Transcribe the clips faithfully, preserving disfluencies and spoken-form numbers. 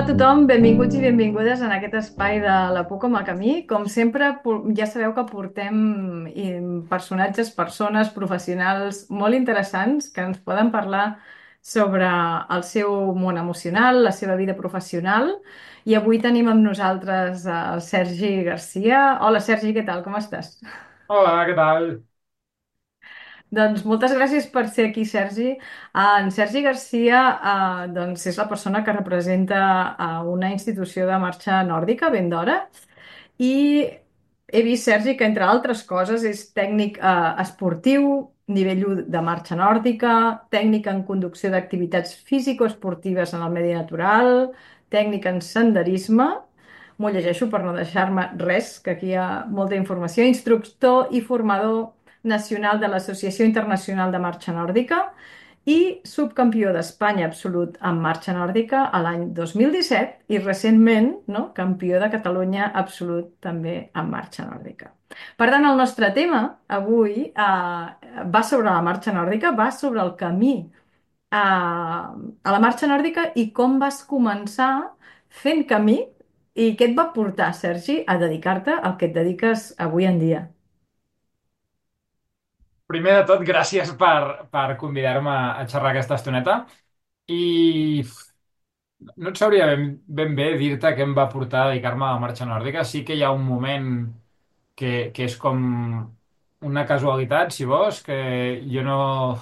a tothom, benvinguts i benvingudes en aquest espai de La por com a camí. Com sempre, po- ja sabeu que portem i, personatges, persones, professionals molt interessants que ens poden parlar sobre el seu món emocional, la seva vida professional. I avui tenim amb nosaltres el Sergi Garcia. Hola, Sergi, què tal? Com estàs? Hola, què tal? Doncs moltes gràcies per ser aquí, Sergi. Ah, en Sergi Garcia, ah, doncs és la persona que representa a una institució de marxa nòrdica, ben d'hora, i he vist, Sergi, que entre altres coses és tècnic eh, esportiu, nivell u de marxa nòrdica, tècnic en conducció d'activitats físico-esportives en el medi natural, tècnic en senderisme, m'ho llegeixo per no deixar-me res, que aquí hi ha molta informació, instructor i formador nacional de l'Associació Internacional de Marxa Nòrdica i subcampió d'Espanya absolut en marxa nòrdica a l'any dos mil disset i recentment, no, campió de Catalunya absolut també en marxa nòrdica. Per tant, el nostre tema avui eh, va sobre la marxa nòrdica, va sobre el camí a, a la marxa nòrdica i com vas començar fent camí i què et va portar, Sergi, a dedicar-te al que et dediques avui en dia. Primer de tot, gràcies per, per convidar-me a xerrar aquesta estoneta. I no et sabria ben, ben bé dir-te què em va portar a dedicar-me a la marxa nòrdica. Sí que hi ha un moment que, que és com una casualitat, si vols, que jo no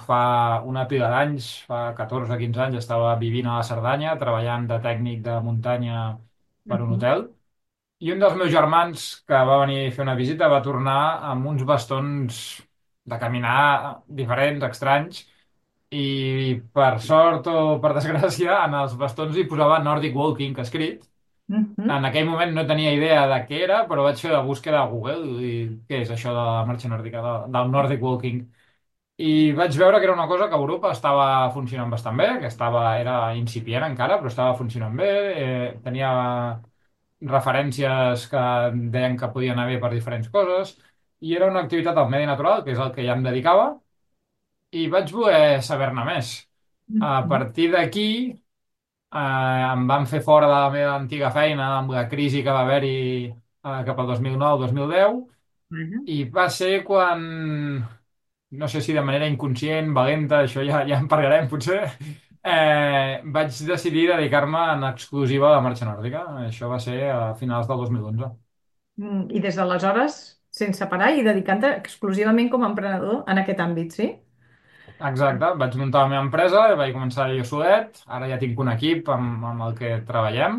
fa una pila d'anys, fa catorze o quinze anys, estava vivint a la Cerdanya, treballant de tècnic de muntanya per un Mhm. hotel. I un dels meus germans que va venir a fer una visita va tornar amb uns bastons de caminar diferents, estranys, i per sort o per desgràcia en els bastons hi posava Nordic Walking escrit. Mhm. En aquell moment no tenia idea de què era, però vaig fer la búsqueda a Google i què és això de la marxa nòrdica, de, del Nordic Walking. I vaig veure que era una cosa que a Europa estava funcionant bastant bé, que estava, era incipient encara, però estava funcionant bé, eh, tenia referències que deien que podien haver per diferents coses, i era una activitat al medi natural, que és el que ja em dedicava, i vaig voler saber-ne més. A Mhm. partir d'aquí, eh, em van fer fora de la meva antiga feina amb la crisi que va haver-hi eh, cap al dos mil nou-dos mil deu, Vaja. i va ser quan, no sé si de manera inconscient, valenta, això ja, ja en parlarem potser, eh, vaig decidir dedicar-me en exclusiva a la marxa nòrdica. Això va ser a finals del dos mil onze. Mm, I des d'aleshores, sense parar i dedicant-te exclusivament com a emprenedor en aquest àmbit, sí? Exacte, vaig muntar la meva empresa, vaig començar jo solet, ara ja tinc un equip amb, amb el que treballem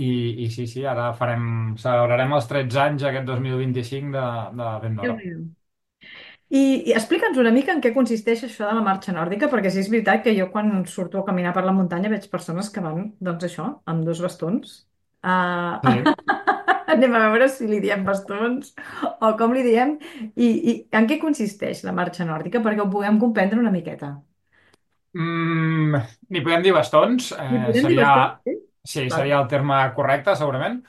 i, i sí, sí, ara farem, celebrarem els tretze anys aquest dos mil vint-i-cinc de, de Ben d'Hora. Déu-n'hi-do. I, i explica'ns una mica en què consisteix això de la marxa nòrdica, perquè sí és veritat que jo quan surto a caminar per la muntanya veig persones que van, doncs això, amb dos bastons. Uh, Sí. anem a veure si li diem bastons o com li diem i, i en què consisteix la marxa nòrdica perquè ho puguem comprendre una miqueta. Mm, N'hi podem dir bastons, Li eh, podem dir seria, bastons? Sí? sí, Val. seria el terme correcte, segurament.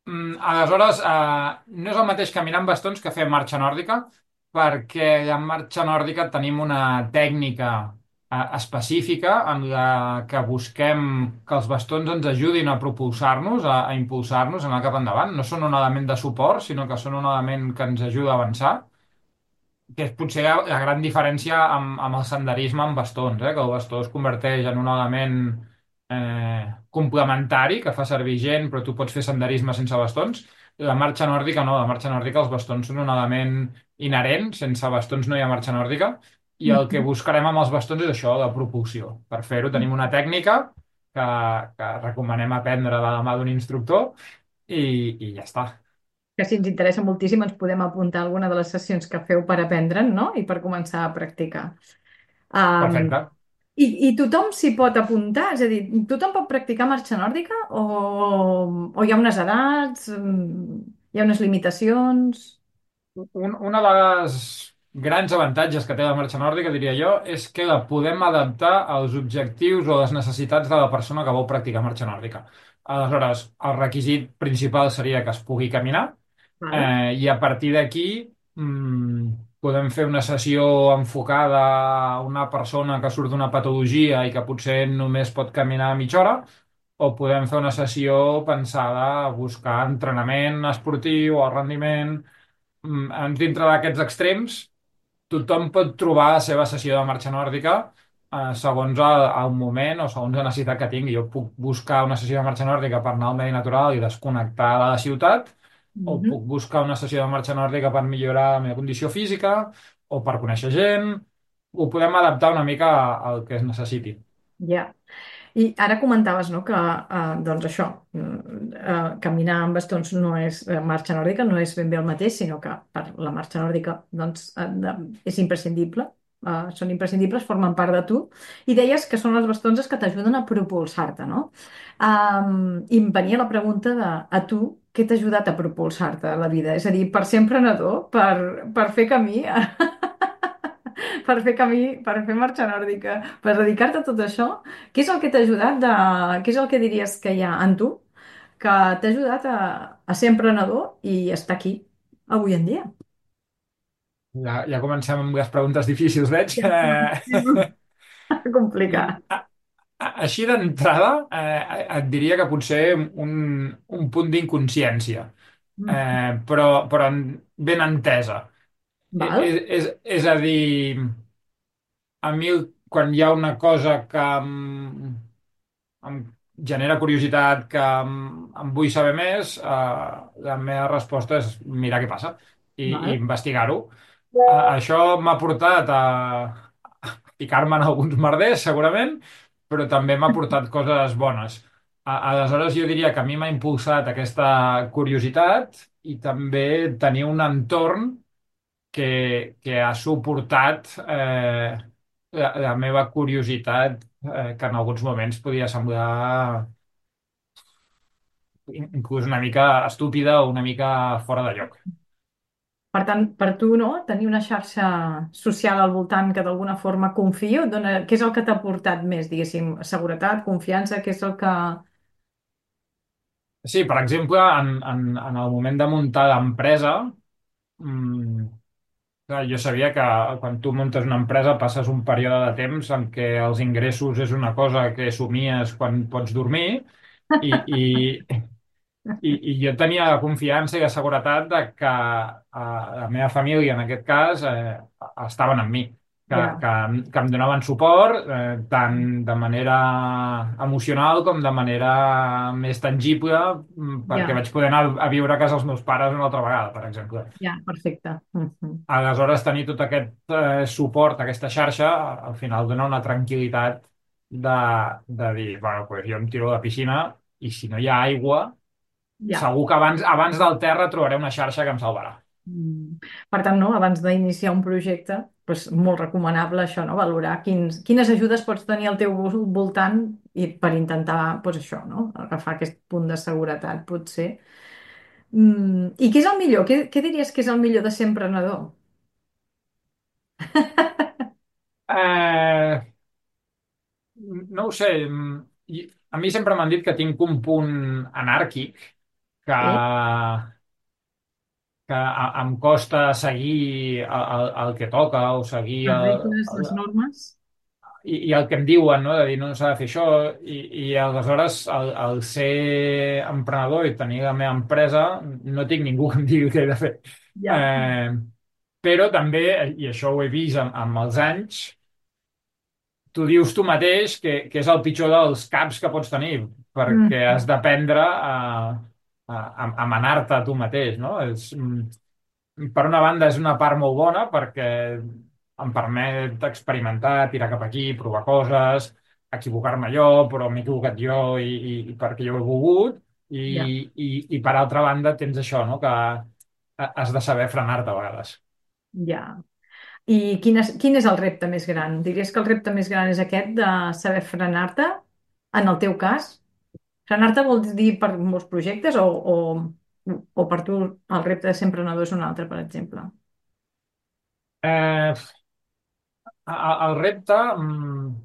Mm, aleshores, eh, no és el mateix caminar amb bastons que fer marxa nòrdica, perquè en marxa nòrdica tenim una tècnica eh, específica en la que busquem que els bastons ens ajudin a propulsar-nos, a, a impulsar-nos, a anar cap endavant. No són un element de suport, sinó que són un element que ens ajuda a avançar, que és potser la, la gran diferència amb, amb el senderisme amb bastons, eh? Que el bastó es converteix en un element eh, complementari que fa servir gent, però tu pots fer senderisme sense bastons. La marxa nòrdica no, la marxa nòrdica els bastons són un element inherent, sense bastons no hi ha marxa nòrdica, i el que Mhm. buscarem amb els bastons és això, la propulsió. Per fer-ho tenim una tècnica que, que recomanem aprendre de la mà d'un instructor i, i ja està. Que si ens interessa moltíssim ens podem apuntar a alguna de les sessions que feu per aprendre'n, no? I per començar a practicar. Um, Perfecte. i, I tothom s'hi pot apuntar? És a dir, tothom pot practicar marxa nòrdica o, o hi ha unes edats, mm, hi ha unes limitacions? Un, una de les grans avantatges que té la marxa nòrdica, diria jo, és que la podem adaptar als objectius o les necessitats de la persona que vol practicar marxa nòrdica. Aleshores, el requisit principal seria que es pugui caminar, Val. eh, i a partir d'aquí mm, podem fer una sessió enfocada a una persona que surt d'una patologia i que potser només pot caminar mitja hora, o podem fer una sessió pensada a buscar entrenament esportiu o rendiment. Mm, Dintre d'aquests extrems, tothom pot trobar la seva sessió de marxa nòrdica eh, segons el, el moment o segons la necessitat que tingui. Jo puc buscar una sessió de marxa nòrdica per anar al medi natural i desconnectar de la ciutat, o Mhm. puc buscar una sessió de marxa nòrdica per millorar la meva condició física o per conèixer gent. Ho podem adaptar una mica al que es necessiti. Ja. I ara comentaves, no, que eh, doncs això, mm, eh, caminar amb bastons no és eh, marxa nòrdica, no és ben bé el mateix, sinó que per la marxa nòrdica doncs, eh, de, és imprescindible, eh, són imprescindibles, formen part de tu. I deies que són els bastons els que t'ajuden a propulsar-te, no? Um, I em venia la pregunta de, a tu, què t'ha ajudat a propulsar-te a la vida? És a dir, per ser emprenedor, per, per fer camí, per fer camí, per fer marxa nòrdica, per dedicar-te a tot això, què és el que t'ha ajudat de... què és el que diries que hi ha en tu que t'ha ajudat a, a ser emprenedor i estar aquí avui en dia? Ja, ja comencem amb les preguntes difícils, veig. Eh, Complicat. a- a- Així d'entrada, eh, et diria que potser un, un punt d'inconsciència, Mm. eh, però, però en- ben entesa. E- Val? És, és, és a dir, a mi quan hi ha una cosa que em, em genera curiositat, que em, em vull saber més, eh, la meva resposta és mirar què passa i, i Val? investigar-ho. A- Això m'ha portat a picar-me en alguns merders, segurament, però també m'ha portat coses bones. A- Aleshores, jo diria que a mi m'ha impulsat aquesta curiositat i també tenir un entorn que, que ha suportat eh, la, la meva curiositat, eh, que en alguns moments podia semblar in- inclús una mica estúpida o una mica fora de lloc. Per tant, per tu, no? Tenir una xarxa social al voltant que d'alguna forma confio, dona... què és el que t'ha portat més, diguéssim? Seguretat, confiança, què és el que... Sí, per exemple, en, en, en el moment de muntar l'empresa, mm, clar, jo sabia que quan tu muntes una empresa passes un període de temps en què els ingressos és una cosa que somies quan pots dormir i, i, i, i jo tenia la confiança i la seguretat de que eh, la meva família, en aquest cas, eh, estaven amb mi, que, Ja, que, que em donaven suport eh, tant de manera emocional com de manera més tangible, mm, perquè ja, vaig poder anar a viure a casa dels meus pares una altra vegada, per exemple. ja, perfecte. Mhm. Aleshores, tenir tot aquest eh, suport, aquesta xarxa, al final dona una tranquil·litat de, de dir, bueno, pues jo em tiro a la piscina i si no hi ha aigua, Ja. segur que abans, abans del terra trobaré una xarxa que em salvarà. Mm. Per tant, no, abans d'iniciar un projecte, doncs molt recomanable això, no? Valorar quins, quines ajudes pots tenir al teu vol- voltant i per intentar, doncs això, no? Agafar aquest punt de seguretat, potser. Mm. I què és el millor? Què, què diries que és el millor de ser emprenedor? Eh, no ho sé. mm, i- A mi sempre m'han dit que tinc un punt anàrquic que, Sí? que a- em costa seguir el, el, el que toca o seguir Les el, regles, les normes? i, i el que em diuen, no? De dir no s'ha de fer això, i, i aleshores el, el ser emprenedor i tenir la meva empresa no tinc ningú que em digui què he de fer. Ja. Eh, però també, i això ho he vist amb, amb els anys, tu dius tu mateix que, que és el pitjor dels caps que pots tenir, perquè Mm. has d'aprendre a, a, a, a manar-te a tu mateix, no? És, mm, per una banda és una part molt bona perquè em permet experimentar, tirar cap aquí, provar coses, equivocar-me jo, però m'he equivocat jo i, i, i perquè jo ho he volgut. I, Ja, i, i per altra banda tens això, no? Que has de saber frenar-te a vegades. ja. I quin és, quin és el repte més gran? Diries que el repte més gran és aquest de saber frenar-te, en el teu cas? Frenar-te vol dir per molts projectes o, o, o per tu el repte de ser emprenedor és un altre, per exemple? Eh, a- el repte, mm,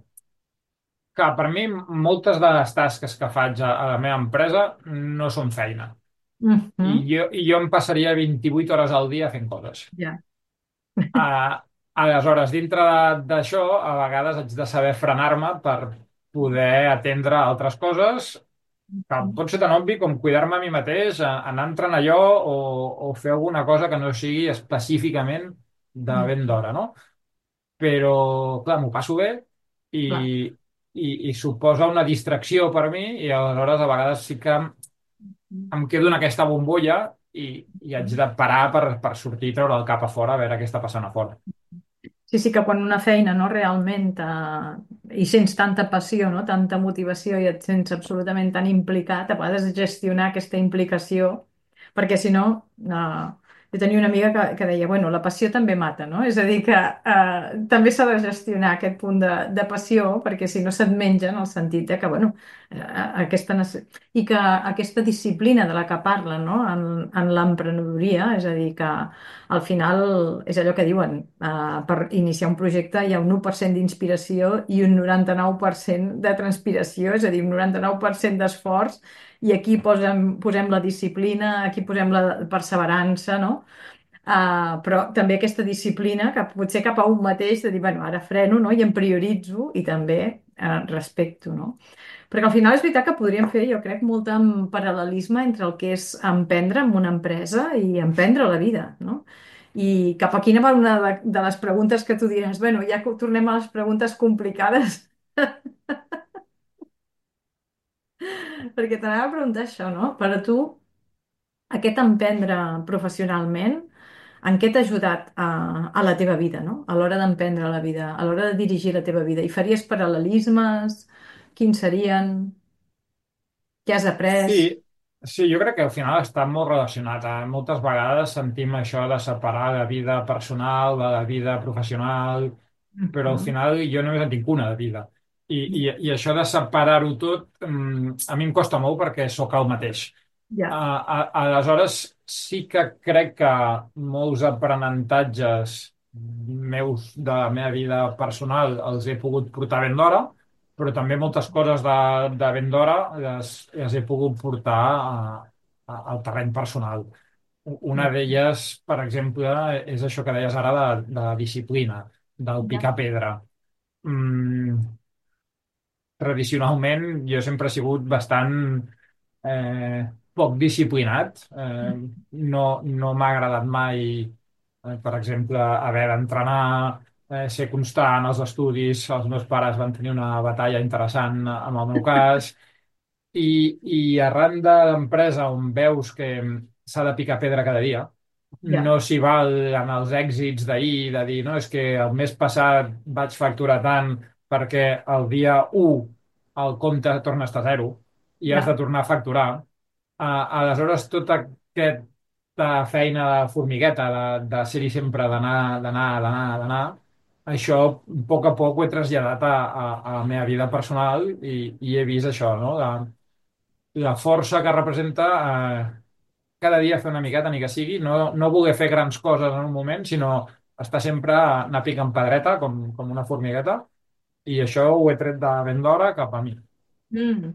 que per mi moltes de les tasques que faig a, a la meva empresa no són feina. I Mhm. jo, i jo em passaria vint-i-vuit hores al dia fent coses. Ja, Uh, Aleshores, dintre de- d'això, a vegades haig de saber frenar-me per poder atendre altres coses Que pot ser tan obvi com cuidar-me a mi mateix, a- anar entrant allò o, o fer alguna cosa que no sigui específicament de ben Mm, d'hora, no? Però, clar, m'ho passo bé i, clar. i, i suposa una distracció per mi i aleshores a vegades sí que em quedo en aquesta bombolla i, i haig de parar per, per sortir i treure el cap a fora a veure què està passant a fora. Sí, sí, que quan una feina no realment eh, hi sents tanta passió, no? Tanta motivació i et sents absolutament tan implicat, a vegades gestionar aquesta implicació, perquè si no, eh, jo tenia una amiga que, que deia, bueno, la passió també mata, no? És a dir, que eh, també s'ha de gestionar aquest punt de, de passió, perquè si no se't menja en el sentit de que, bueno, eh, aquesta, nece- i que aquesta disciplina de la que parla, no? En, en l'emprenedoria, és a dir, que al final és allò que diuen, eh, per iniciar un projecte hi ha un u per cent d'inspiració i un noranta-nou per cent de transpiració, és a dir, un noranta-nou per cent d'esforç, i aquí posem, posem la disciplina, aquí posem la perseverança, no? Uh, però també aquesta disciplina, que potser cap a un mateix, de dir, bueno, ara freno, no? I em prioritzo i també uh, respecto, no? Perquè al final és veritat que podríem fer, jo crec, molt en paral·lelisme entre el que és emprendre en una empresa i emprendre la vida, no? I cap a quina va una de, de les preguntes que tu diràs, bueno, ja que tornem a les preguntes complicades, perquè t'anava a preguntar això, no? Per a tu, aquest emprendre professionalment, en què t'ha ajudat a, a la teva vida, no? A l'hora d'emprendre la vida, a l'hora de dirigir la teva vida. I faries paral·lelismes? Quins serien? Què has après? Sí, sí, jo crec que al final està molt relacionat. Eh? Moltes vegades sentim això de separar la vida personal de la vida professional, però al Mhm. final jo només en tinc una de vida. I, i, i això de separar-ho tot, mm, a mi em costa molt perquè sóc el mateix. A, Ja, a, aleshores, sí que crec que molts aprenentatges meus de la meva vida personal els he pogut portar ben d'hora, però també moltes coses de, de ben d'hora les, les he pogut portar a, a, al terreny personal. Una d'elles, per exemple, és això que deies ara de, de la disciplina, del ja, picar pedra. Mm, tradicionalment jo sempre he sigut bastant eh, poc disciplinat. Eh, no no m'ha agradat mai, eh, per exemple, haver d'entrenar, eh, ser constant als estudis. Els meus pares van tenir una batalla interessant amb el meu cas. I, i arran de l'empresa on veus que s'ha de picar pedra cada dia, ja, no s'hi val en els èxits d'ahir, de dir, no, és que el mes passat vaig facturar tant perquè el dia u el compte torna a estar a zero i has de ja. tornar a facturar. Uh, aleshores, tota aquesta feina de formigueta, de, de ser-hi sempre, d'anar, d'anar, d'anar, d'anar, això a poc a poc ho he traslladat a, a, a la meva vida personal i, i he vist això, no? La, la força que representa eh, cada dia fer una miqueta, ni que sigui, no, no voler fer grans coses en un moment, sinó estar sempre anar picant pedreta com, com una formigueta, i això ho he tret de ben d'hora cap a mi. Mm.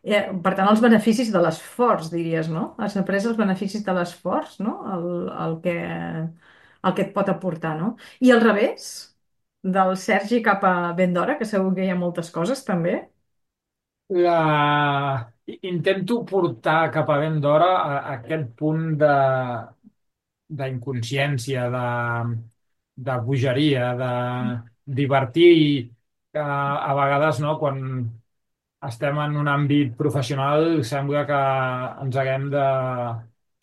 Eh, per tant, els beneficis de l'esforç, diries, no? Has après els beneficis de l'esforç, no? El, el que, el que et pot aportar, no? I al revés, del Sergi cap a Vendora, que segur que hi ha moltes coses, també. La... Intento portar cap a ben d'hora a, a aquest punt de d'inconsciència, de, de bogeria, de divertir, que a vegades, no, quan estem en un àmbit professional, sembla que ens haguem de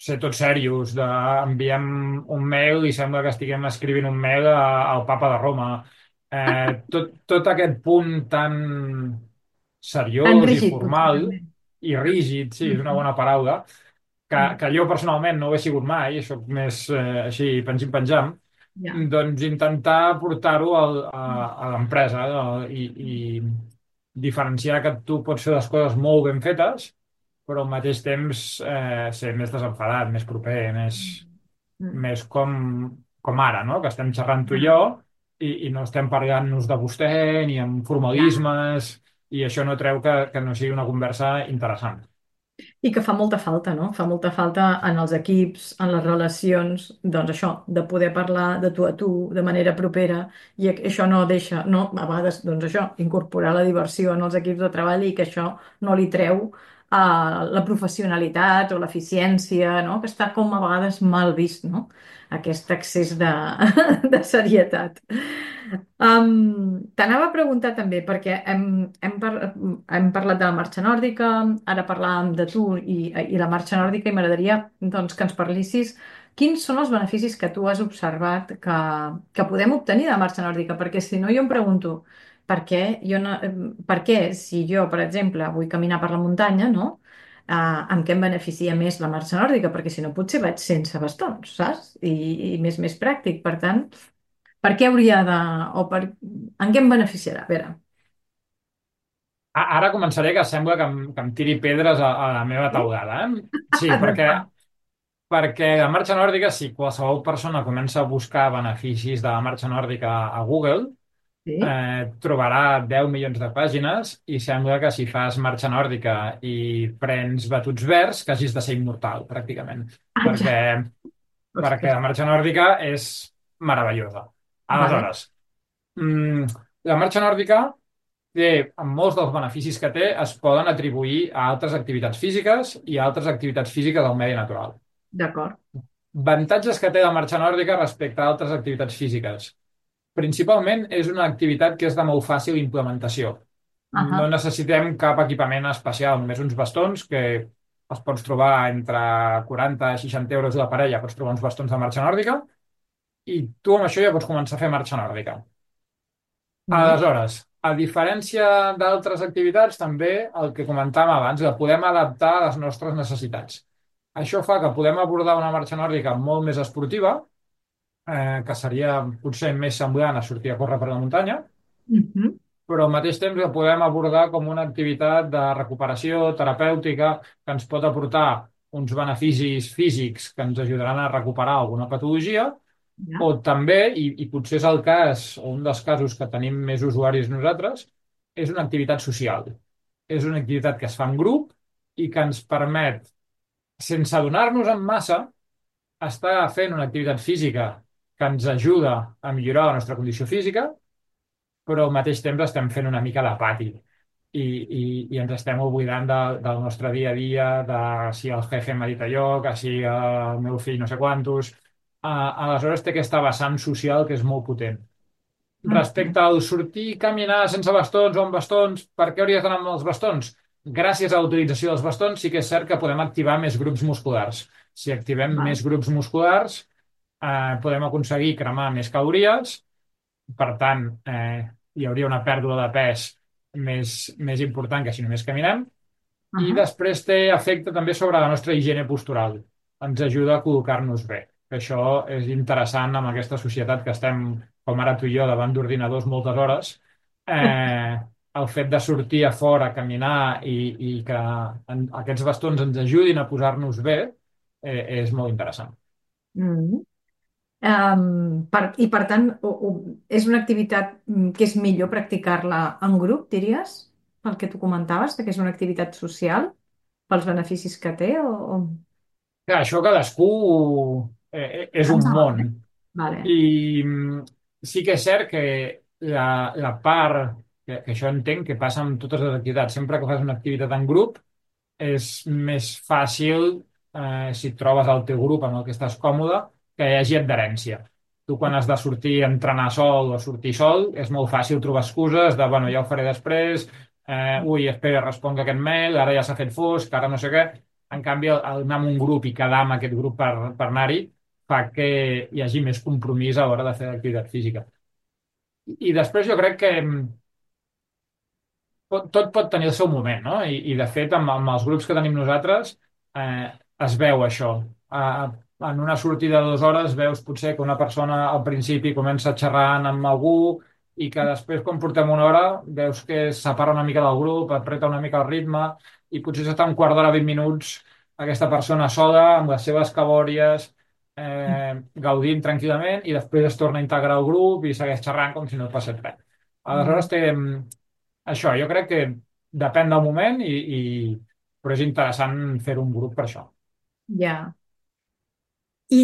ser tots serios, de enviem un mail i sembla que estiguem escrivint un mail a, al papa de Roma. Eh, tot, tot aquest punt tan Tan seriós i rígid, potser, formal també. i rígid, sí, és una Mhm. bona paraula, que, Mm. que jo personalment no ho he sigut mai, sóc més eh, així, pengim-penjam, Ja. doncs intentar portar-ho al- a, a l'empresa, eh, i, i diferenciar que tu pots fer les coses molt ben fetes, però al mateix temps eh, ser més desenfadat, més proper, més, Mm. més com, com ara, no? Que estem xerrant tu i jo Ja. i, i no estem parlant-nos de vostè ni amb Ja. formalismes, i això no treu que, que no sigui una conversa interessant. I que fa molta falta, no? Fa molta falta en els equips, en les relacions, doncs això, de poder parlar de tu a tu, de manera propera, i a- això no deixa, no, a vegades, doncs això, incorporar la diversió en els equips de treball i que això no li treu uh, la professionalitat o l'eficiència, no? Que està com a vegades mal vist, no? Aquest excés de, de serietat. Um, t'anava a preguntar també, perquè hem, hem, par hem parlat de la marxa nòrdica, ara parlàvem de tu i, i la marxa nòrdica, i m'agradaria doncs, que ens parlissis quins són els beneficis que tu has observat que, que podem obtenir de la marxa nòrdica, perquè si no jo em pregunto per què, jo no, per què si jo, per exemple, vull caminar per la muntanya, no? Uh, en què em beneficia més la marxa nòrdica? Perquè si no potser vaig sense bastons, saps? I, i més més pràctic. Per tant, per què hauria de... o per... en què em beneficiarà? A veure. A- Ara començaré que sembla que em, que em tiri pedres a, a la meva Sí? teulada, eh? Sí, perquè, perquè la marxa nòrdica, si qualsevol persona comença a buscar beneficis de la marxa nòrdica a Google, Sí? eh, trobarà deu milions de pàgines i sembla que si fas marxa nòrdica i prens batuts verds, que hagis de ser immortal, pràcticament. Perquè, Exacte. perquè Ostres. la marxa nòrdica és meravellosa. Vale. Aleshores, mm, la marxa nòrdica té, amb molts dels beneficis que té, es poden atribuir a altres activitats físiques i a altres activitats físiques del medi natural. D'acord. Avantatges que té la marxa nòrdica respecte a altres activitats físiques. Principalment és una activitat que és de molt fàcil implementació. No Ahà. necessitem cap equipament especial, només uns bastons que els pots trobar entre quaranta i seixanta euros la parella, pots trobar uns bastons de marxa nòrdica i tu amb això ja pots començar a fer marxa nòrdica. Mm. Aleshores, a diferència d'altres activitats, també el que comentàvem abans, la podem adaptar a les nostres necessitats. Això fa que podem abordar una marxa nòrdica molt més esportiva, eh, que seria potser més semblant a sortir a córrer per la muntanya, Mhm. però al mateix temps la podem abordar com una activitat de recuperació terapèutica que ens pot aportar uns beneficis físics que ens ajudaran a recuperar alguna patologia, o Ja. també, i, i potser és el cas, o un dels casos que tenim més usuaris nosaltres, és una activitat social. És una activitat que es fa en grup i que ens permet, sense adonar-nos en massa, estar fent una activitat física que ens ajuda a millorar la nostra condició física, però al mateix temps estem fent una mica de pati i, i, i ens estem oblidant de, del nostre dia a dia, de si el jefe m'ha dit allò, que si el meu fill no sé quantos. Uh, aleshores té aquesta vessant social que és molt potent. Mhm. Respecte al sortir i caminar sense bastons o amb bastons, per què hauries d'anar amb els bastons? Gràcies a la utilització dels bastons sí que és cert que podem activar més grups musculars. Si activem Val. més grups musculars, eh, podem aconseguir cremar més calories, per tant, eh, hi hauria una pèrdua de pes més, més important que si només caminem. I Ahà. després té efecte també sobre la nostra higiene postural. Ens ajuda a col·locar-nos bé. Que això és interessant amb aquesta societat que estem, com ara tu i jo, davant d'ordinadors moltes hores. Eh, el fet de sortir a fora, a caminar i, i que en, aquests bastons ens ajudin a posar-nos bé eh, és molt interessant. Mm. Um, per, I per tant, o, o, és una activitat mm, que és millor practicar-la en grup, diries? Pel que tu comentaves, que és una activitat social, pels beneficis que té, o... o... Clar, això cadascú eh, eh, és un Cada món. vegada. Vale. I mm, sí que és cert que la, la part, que, que això entenc que passa amb totes les activitats, sempre que fas una activitat en grup, és més fàcil, eh, si et trobes el teu grup amb el que estàs còmode, que hi hagi adherència. Tu quan has de sortir a entrenar sol o sortir sol, és molt fàcil trobar excuses de, bueno, ja ho faré després, eh, ui, espera, responc aquest mail, ara ja s'ha fet fosc, ara no sé què. En canvi, el, el anar amb un grup i quedar amb aquest grup per, per anar-hi fa que hi hagi més compromís a l'hora de fer l'activitat física. I després jo crec que mm, pot, tot pot tenir el seu moment, no? I, i de fet, amb, amb els grups que tenim nosaltres, eh, es veu això. Eh, en una sortida de dues hores veus potser que una persona al principi comença xerrant amb algú i que després, quan portem una hora, veus que es separa una mica del grup, apreta una mica el ritme i potser s'està un quart d'hora, vint minuts, aquesta persona sola, amb les seves cabòries, eh, gaudint tranquil·lament i després es torna a integrar al grup i segueix xerrant com si no passés res. Mm. Aleshores té, això, jo crec que depèn del moment, i, i... però és interessant fer un grup per això. Ja. I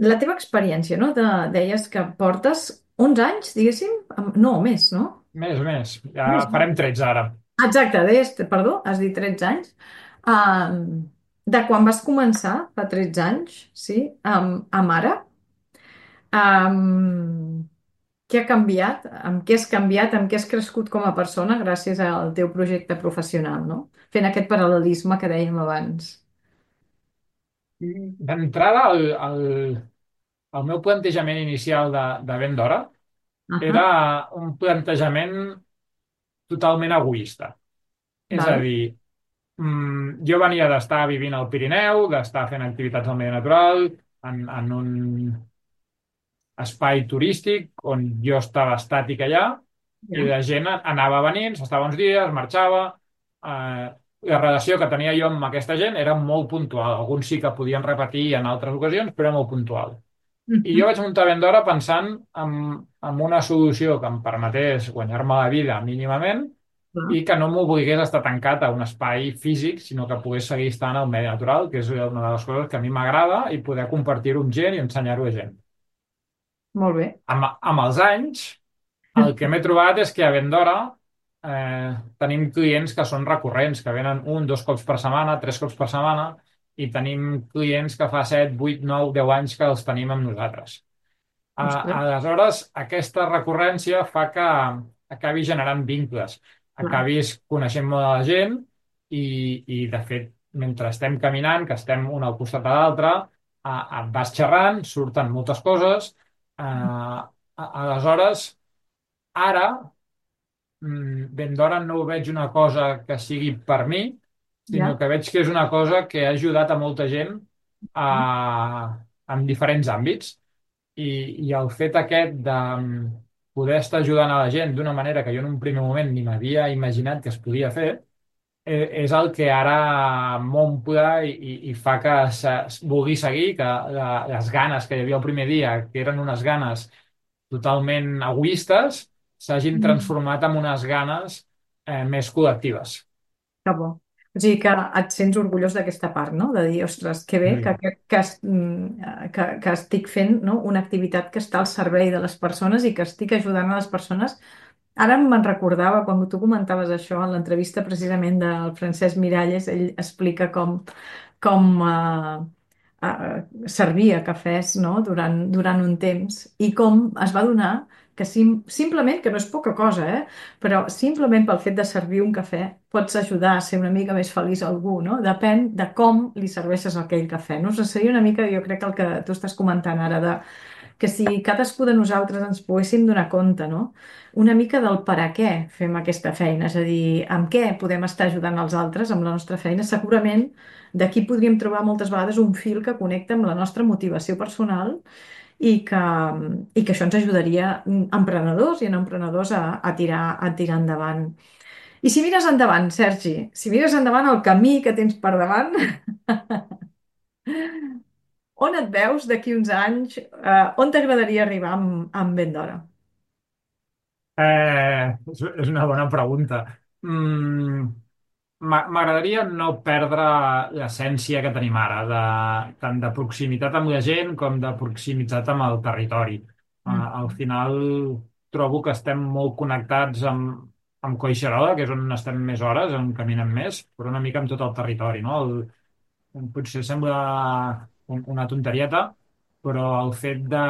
la teva experiència, no? De, deies que portes onze anys, diguéssim? Amb- No, més, no? Més, més. Ja Més, més. farem tretze ara. Exacte, deies, perdó, has dit tretze anys. Um, de quan vas començar, fa tretze anys, sí, amb, amb ara, um, què ha canviat? Amb què has canviat? Amb què has crescut com a persona gràcies al teu projecte professional, no? Fent aquest paral·lelisme que dèiem abans. D'entrada, el, el, el meu plantejament inicial de, de ben d'hora era Ahà, un plantejament totalment egoista. És a val? dir, mm, jo venia d'estar vivint al Pirineu, d'estar fent activitats al medi natural, en, en un espai turístic on jo estava estàtic allà i Ja. la gent anava venint, s'estava uns dies, marxava. Eh, la relació que tenia jo amb aquesta gent era molt puntual. Alguns sí que podien repetir en altres ocasions, però era molt puntual. I jo Mhm. vaig muntar Vendora pensant en, en una solució que em permetés guanyar-me la vida mínimament Clar. i que no m'obligués a estar tancat a un espai físic, sinó que pogués seguir estant al medi natural, que és una de les coses que a mi m'agrada, i poder compartir-ho amb gent i ensenyar-ho a gent. Molt bé. Amb, amb els anys, el que m'he trobat és que a Vendora eh, tenim clients que són recurrents, que venen un, dos cops per setmana, tres cops per setmana, i tenim clients que fa set, vuit, nou, deu anys que els tenim amb nosaltres. A- Ostres, Aleshores, aquesta recurrència fa que acabi generant vincles, clar. acabis coneixent molt de la gent i, i de fet, mentre estem caminant, que estem un al costat de l'altre, a, a, vas xerrant, surten moltes coses. Eh, a- aleshores, ara, mm, ben d'hora no ho veig una cosa que sigui per mi, sinó Ja. que veig que és una cosa que ha ajudat a molta gent a, en diferents àmbits. I, i el fet aquest de mm, poder estar ajudant a la gent d'una manera que jo en un primer moment ni m'havia imaginat que es podia fer, eh, és el que ara m'omple i, i, i fa que se, vulgui seguir, que la, les ganes que hi havia el primer dia, que eren unes ganes totalment egoistes, s'hagin Mm. transformat en unes ganes eh, més col·lectives. Que bo. O sigui que et sents orgullós d'aquesta part, no? De dir, ostres, que bé que, Sí. que, que, es- mm, que, que estic fent, no? Una activitat que està al servei de les persones i que estic ajudant a les persones. Ara me'n recordava, quan tu comentaves això en l'entrevista precisament del Francesc Miralles, ell explica com, com eh, eh, servia cafès, no? durant, durant un temps i com es va donar que sim, simplement, que no és poca cosa, eh? Però simplement pel fet de servir un cafè pots ajudar a ser una mica més feliç a algú, no? Depèn de com li serveixes aquell cafè, no? O sigui, seria una mica, jo crec que el que tu estàs comentant ara de que si cadascú de nosaltres ens poguéssim donar compte, no? Una mica del per a què fem aquesta feina, és a dir, amb què podem estar ajudant els altres amb la nostra feina, segurament d'aquí podríem trobar moltes vegades un fil que connecta amb la nostra motivació personal i que, i que això ens ajudaria mm, emprenedors i a no emprenedors a, a tirar, a tirar endavant. I si mires endavant, Sergi, si mires endavant el camí que tens per davant, on et veus d'aquí uns anys? Eh, on t'agradaria arribar amb, amb ben d'hora? Eh, és és una bona pregunta. Mm, M'a- M'agradaria no perdre l'essència que tenim ara, de, tant de proximitat amb la gent com de proximitat amb el territori. Uh, Mm, al final trobo que estem molt connectats amb, amb Collserola, que és on estem més hores, on caminem més, però una mica amb tot el territori, no? El, potser sembla un, una tonterieta, però el fet de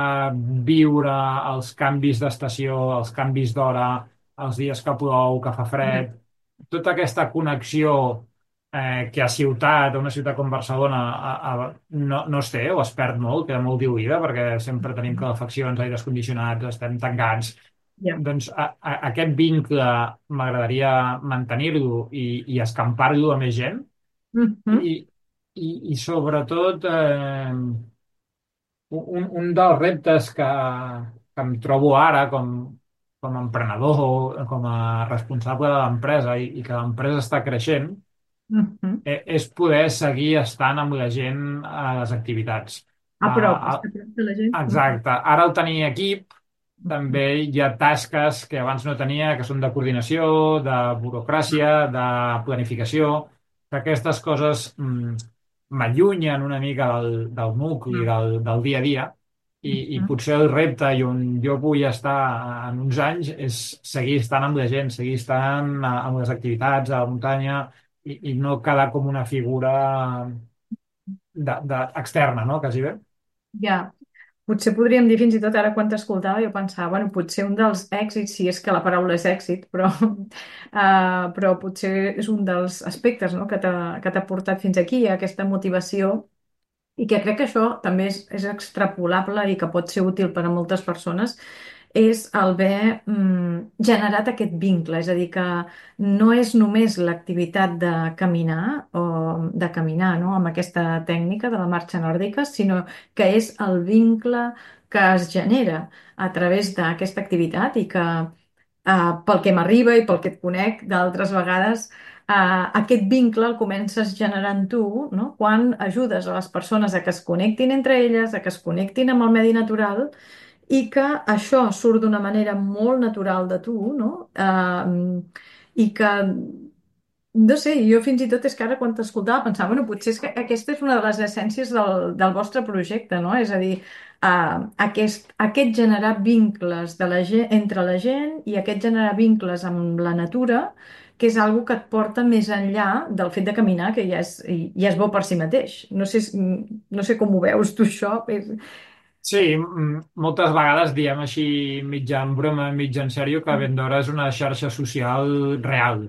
viure els canvis d'estació, els canvis d'hora, els dies que plou, que fa ja. fred, tota aquesta connexió eh, que a ciutat, a una ciutat com Barcelona, a, a, no, no es té o es perd molt, queda molt diluïda perquè sempre tenim calefaccions, aires condicionats, estem tancats. Ja. Doncs a, a, aquest vincle m'agradaria mantenir-lo i, i escampar-lo a més gent Mhm, i, i, i sobretot eh, un, un dels reptes que, que em trobo ara com, com a emprenedor, com a responsable de l'empresa i, i que l'empresa està creixent, mhm. eh, és poder seguir estant amb la gent a les activitats. A prop, Ah, està a prop de la gent. Mhm, exacte. Ara al tenir equip, mhm. també hi ha tasques que abans no tenia, que són de coordinació, de burocràcia, de planificació, que aquestes coses mm, m'allunyen una mica del, del nucli, Ja. del, del dia a dia, i, i Mhm. potser el repte i on jo vull estar en uns anys és seguir estant amb la gent, seguir estant a- amb les activitats a la muntanya, i, i no quedar com una figura de, de, externa, no? Quasi bé. Ja. Potser podríem dir fins i tot ara quan t'escoltava jo pensava, bueno, potser un dels èxits, si és que la paraula és èxit, però, uh, però potser és un dels aspectes, no? que t'ha que t'ha portat fins aquí, aquesta motivació, i que crec que això també és, és extrapolable i que pot ser útil per a moltes persones, és el haver mm, generat aquest vincle, és a dir, que no és només l'activitat de caminar o de caminar, no?, amb aquesta tècnica de la marxa nòrdica, sinó que és el vincle que es genera a través d'aquesta activitat i que eh, pel que m'arriba i pel que et conec d'altres vegades, eh, aquest vincle el comences generant tu, no? Quan ajudes a les persones a que es connectin entre elles, a que es connectin amb el medi natural i que això surt d'una manera molt natural de tu, no? Eh, I que no sé, jo fins i tot és que ara quan t'escoltava pensava, bueno, potser és que aquesta és una de les essències del, del vostre projecte, no? És a dir, uh, aquest, aquest generar vincles de la gent, entre la gent i aquest generar vincles amb la natura, que és algo que et porta més enllà del fet de caminar, que ja és, ja és bo per si mateix. No sé, si- no sé com ho veus tu, això. És... Sí, m- moltes vegades diem així mitja en broma, mitja en sèrio, que Vendora és una xarxa social real.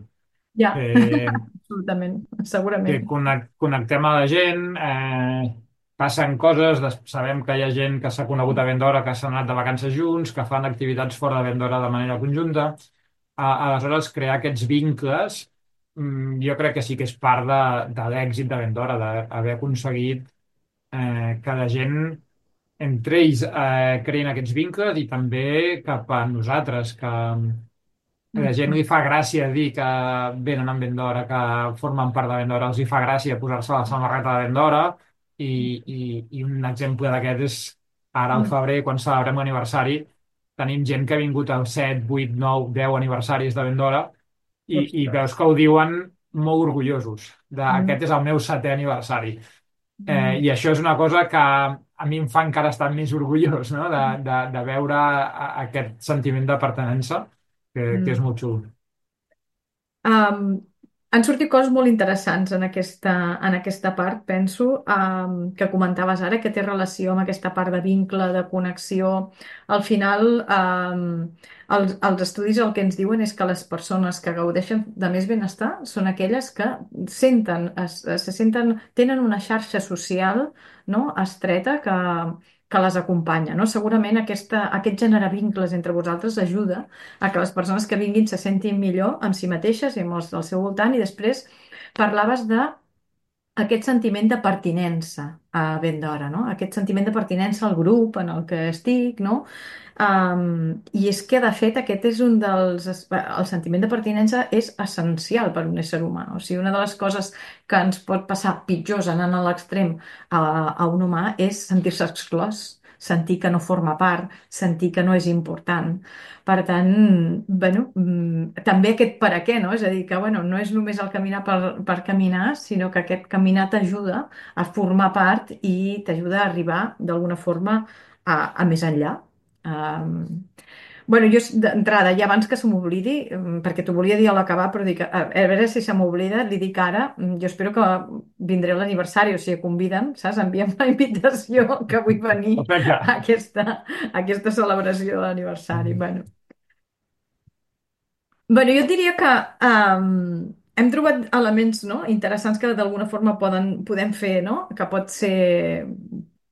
Ja, Eh, absolutament, que segurament. connec- connectem a la gent, eh, passen coses, des- sabem que hi ha gent que s'ha conegut a Vendora, que s'han anat de vacances junts, que fan activitats fora de Vendora de manera conjunta. A, aleshores, crear aquests vincles, mm, jo crec que sí que és part de, de l'èxit de Vendora, d'haver aconseguit eh, que la gent entre ells eh, creïn aquests vincles i també cap a nosaltres, que a la gent Mhm. li fa gràcia dir que venen amb Vendora, que formen part de Vendora, els hi fa gràcia posar-se la samarreta de Vendora i, i, i un exemple d'aquest és ara al febrer, quan celebrem l'aniversari, tenim gent que ha vingut als set, vuit, nou, deu aniversaris de Vendora i, i Ostres. veus que ho diuen molt orgullosos de Mm. aquest és el meu setè aniversari. Eh, Mm. I això és una cosa que a mi em fa encara estar més orgullós, no? de, de, de veure a- aquest sentiment de pertinença, que, que és Mm. molt xulo. Um, Han sortit coses molt interessants en aquesta, en aquesta part, penso, um, que comentaves ara, que té relació amb aquesta part de vincle, de connexió. Al final, um, els, els estudis el que ens diuen és que les persones que gaudeixen de més benestar són aquelles que senten, es, se senten, tenen una xarxa social, no?, estreta que, que les acompanya, no? Segurament aquesta, aquest generar vincles entre vosaltres ajuda a que les persones que vinguin se sentin millor amb si mateixes i amb els del seu voltant. I després parlaves de aquest sentiment de pertinença a ben d'hora, no? Aquest sentiment de pertinença al grup en el que estic, no? Um, I és que, de fet, aquest és un dels... El sentiment de pertinença és essencial per a un ésser humà. O sigui, una de les coses que ens pot passar pitjors anant a l'extrem a, a un humà és sentir-se exclòs, sentir que no forma part, sentir que no és important. Per tant, bueno, mm, també aquest per a què, no? És a dir, que bueno, no és només el caminar per, per caminar, sinó que aquest caminar t'ajuda a formar part i t'ajuda a arribar d'alguna forma a, a més enllà. Um, bueno, jo d'entrada, ja abans que se m'oblidi, mm, perquè t'ho volia dir a l'acabar, però dic, a, a veure si se m'oblida, li dic ara, mm, jo espero que vindré a l'aniversari, o sigui, convida'm, saps? Envia'm la invitació que vull venir Perfecte. a aquesta, a aquesta celebració de l'aniversari. Bueno, Bueno, jo et diria que um, hem trobat elements, no?, interessants que d'alguna forma poden, podem fer, no?, que pot ser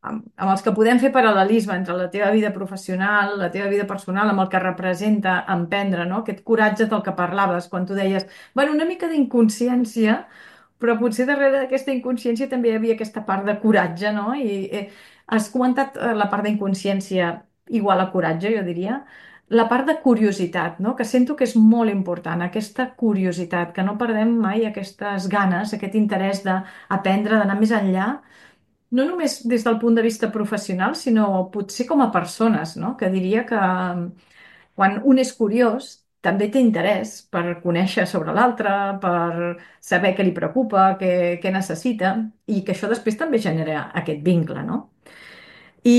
amb, amb els que podem fer paral·lelisme entre la teva vida professional, la teva vida personal, amb el que representa emprendre, no?, aquest coratge del que parlaves quan tu deies, bueno, una mica d'inconsciència, però potser darrere d'aquesta inconsciència també hi havia aquesta part de coratge, no? I eh, has comentat eh, la part d'inconsciència igual a coratge, jo diria. La part de curiositat, no?, que sento que és molt important, aquesta curiositat, que no perdem mai aquestes ganes, aquest interès d'aprendre, d'anar més enllà, no només des del punt de vista professional, sinó potser com a persones, no? Que diria que mm, quan un és curiós, també té interès per conèixer sobre l'altre, per saber què li preocupa, què, què necessita, i que això després també genera aquest vincle, no? I,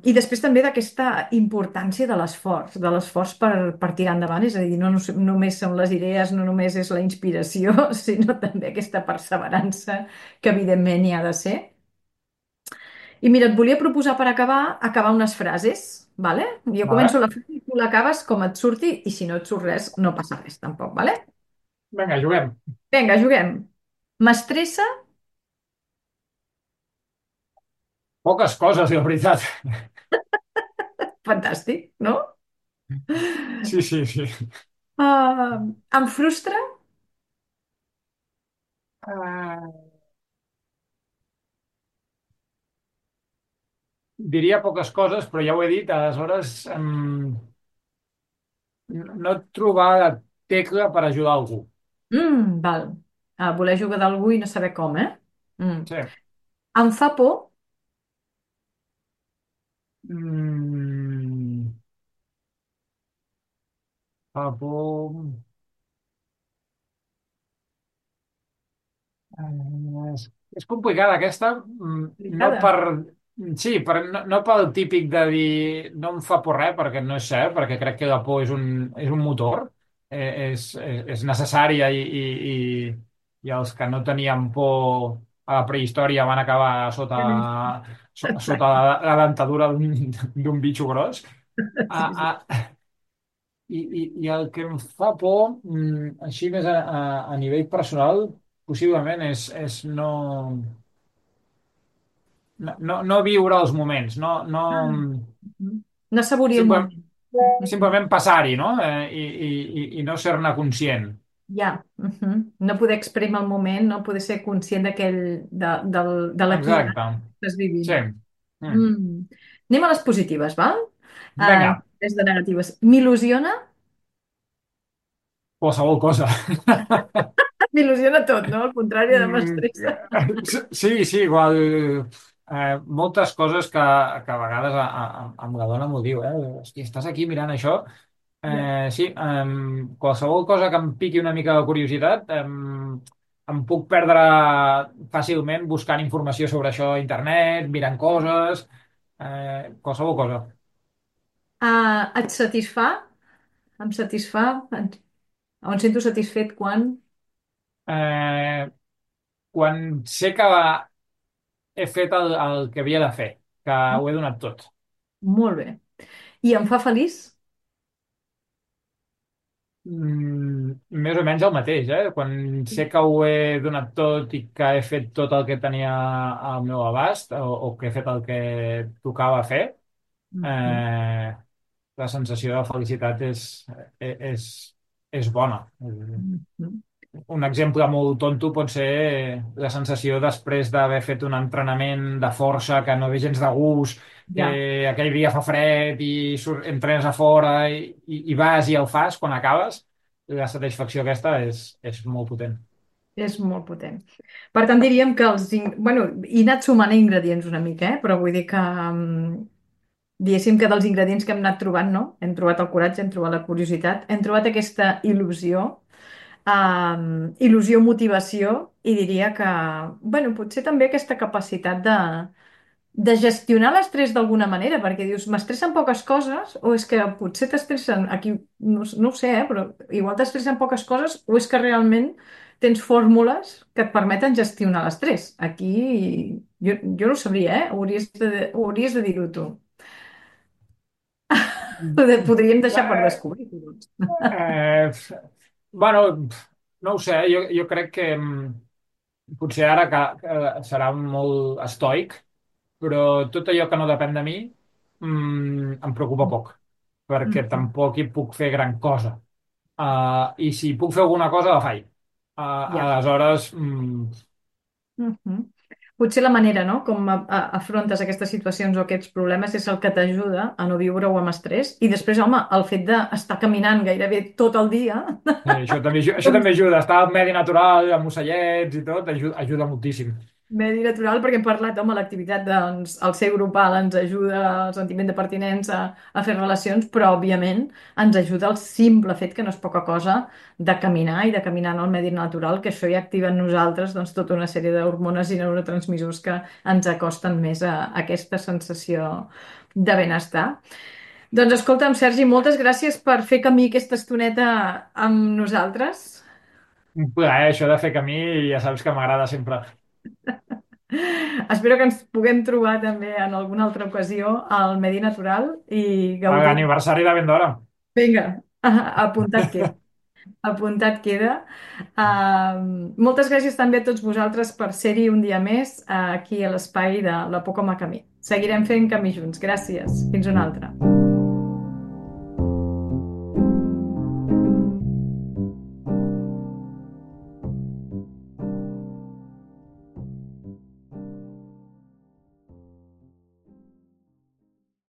i després també d'aquesta importància de l'esforç, de l'esforç per, per tirar endavant, és a dir, no, no només són les idees, no només és la inspiració, sinó també aquesta perseverança que evidentment hi ha de ser. I mira, et volia proposar per acabar, acabar unes frases, vale? Jo començo Vale? la frase i tu l'acabes com et surti, i si no et surt res, no passa res tampoc, vale? Vinga, juguem. Vinga, juguem. M'estressa, Poques coses, la veritat. fantàstic, no? Sí, sí, sí. Uh, em frustra, Uh, diria poques coses, però ja ho he dit, aleshores um, no trobar la tecla per ajudar algú. mm, val. Uh, voler jugar d'algú i no saber com, eh? Mm. Sí. Em fa por, Mm, fa por. Eh, És, és complicada aquesta, mm, no complicada. per... Sí, per, no, no pel típic de dir no em fa por res, perquè no és cert, perquè crec que la por és un, és un motor, eh, és, és, és necessària i, i, i, i els que no tenien por a la prehistòria van acabar sota, so, sota Exacte. la, la dentadura d'un d'un bitxo gros. Sí, Ah, sí. ah, i, i, I el que em fa por, mm, així més a, a, a nivell personal, possiblement és, és no, no, no no viure els moments, no, no, Ah, mhm. No assaborir el simplement, moment. Mhm. simplement passar-hi, no? Eh, i, i, i i no ser-ne conscient. Ja. Mhm. No poder exprimir el moment, no poder ser conscient d'aquell, de, del, de l'aquí i ara Exacte. que estàs Sí. vivint. Mm. Mm. Anem a les positives, val? Uh, Vinga, des de negatives. M'il·lusiona? qualsevol cosa. M'il·lusiona tot, no? Al contrari de Mm, m'estressa. sí, sí, igual. Eh, moltes coses que, que a vegades a, a, amb la dona m'ho diu, eh? Hosti, estàs aquí mirant això. Ja. Eh, sí, em, qualsevol cosa que em piqui una mica de curiositat, em, em puc perdre fàcilment buscant informació sobre això a internet, mirant coses, eh, qualsevol cosa. Uh, et satisfà? Em satisfà? Et- Em sento satisfet quan? Eh, quan sé que he fet el, el que havia de fer, que ho he donat tot. Molt bé. I em fa feliç? Mm, més o menys el mateix, eh? Quan sé que ho he donat tot i que he fet tot el que tenia al meu abast o, o que he fet el que tocava fer, Mhm. eh, la sensació de felicitat és, és, és, és bona. Mhm. Un exemple molt tonto pot ser la sensació després d'haver fet un entrenament de força que no ve gens de gust, que Ja, aquell dia fa fred i surt, entrenes a fora i, i, i vas i el fas quan acabes, la satisfacció aquesta és, és molt potent. és molt potent. Per tant, diríem que els... in- Bueno, he anat sumant ingredients una mica, eh? Però vull dir que... mm, diguéssim que dels ingredients que hem anat trobant, no? Hem trobat el coratge, hem trobat la curiositat, hem trobat aquesta il·lusió, um, il·lusió, motivació, i diria que, bueno, potser també aquesta capacitat de, de gestionar l'estrès d'alguna manera, perquè dius, m'estressen poques coses, o és que potser t'estressen, aquí no, no ho sé, eh, però igual t'estressen poques coses, o és que realment tens fórmules que et permeten gestionar l'estrès. Aquí jo, jo no ho sabria, eh? Hauries de, hauries de dir-ho tu. Podríem deixar per Eh, descobrir. Doncs. eh, bueno, no ho sé, jo, jo crec que mm, potser ara que, que serà molt estoic, però tot allò que no depèn de mi mm, em preocupa poc, perquè Mhm. tampoc hi puc fer gran cosa. Uh, I si puc fer alguna cosa, la faig. Uh, Ja. aleshores, mm, Mhm. Potser la manera, no?, com a, a, afrontes aquestes situacions o aquests problemes és el que t'ajuda a no viure-ho amb estrès. I després, home, el fet d'estar caminant gairebé tot el dia, eh, això també, aju- això com també ajuda. Estar al medi natural, amb ocellets i tot, ajuda, ajuda moltíssim. Medi natural, perquè hem parlat, home, l'activitat, doncs, el ser grupal ens ajuda al sentiment de pertinença a fer relacions, però, òbviament, ens ajuda el simple fet, que no és poca cosa, de caminar i de caminar en el medi natural, que això ja activa en nosaltres, doncs, tota una sèrie d'hormones i neurotransmissors que ens acosten més a, a aquesta sensació de benestar. Doncs, escolta'm, Sergi, moltes gràcies per fer camí aquesta estoneta amb nosaltres. Un plaer, això de fer camí, ja saps que m'agrada sempre. Espero que ens puguem trobar també en alguna altra ocasió al medi natural i A gaudir. l'aniversari de ben d'hora. Vinga, apuntat queda. Apuntat queda. Uh, moltes gràcies també a tots vosaltres per ser-hi un dia més, uh, aquí a l'espai de La Por com a Camí. Seguirem fent camí junts. Gràcies. Fins una altra.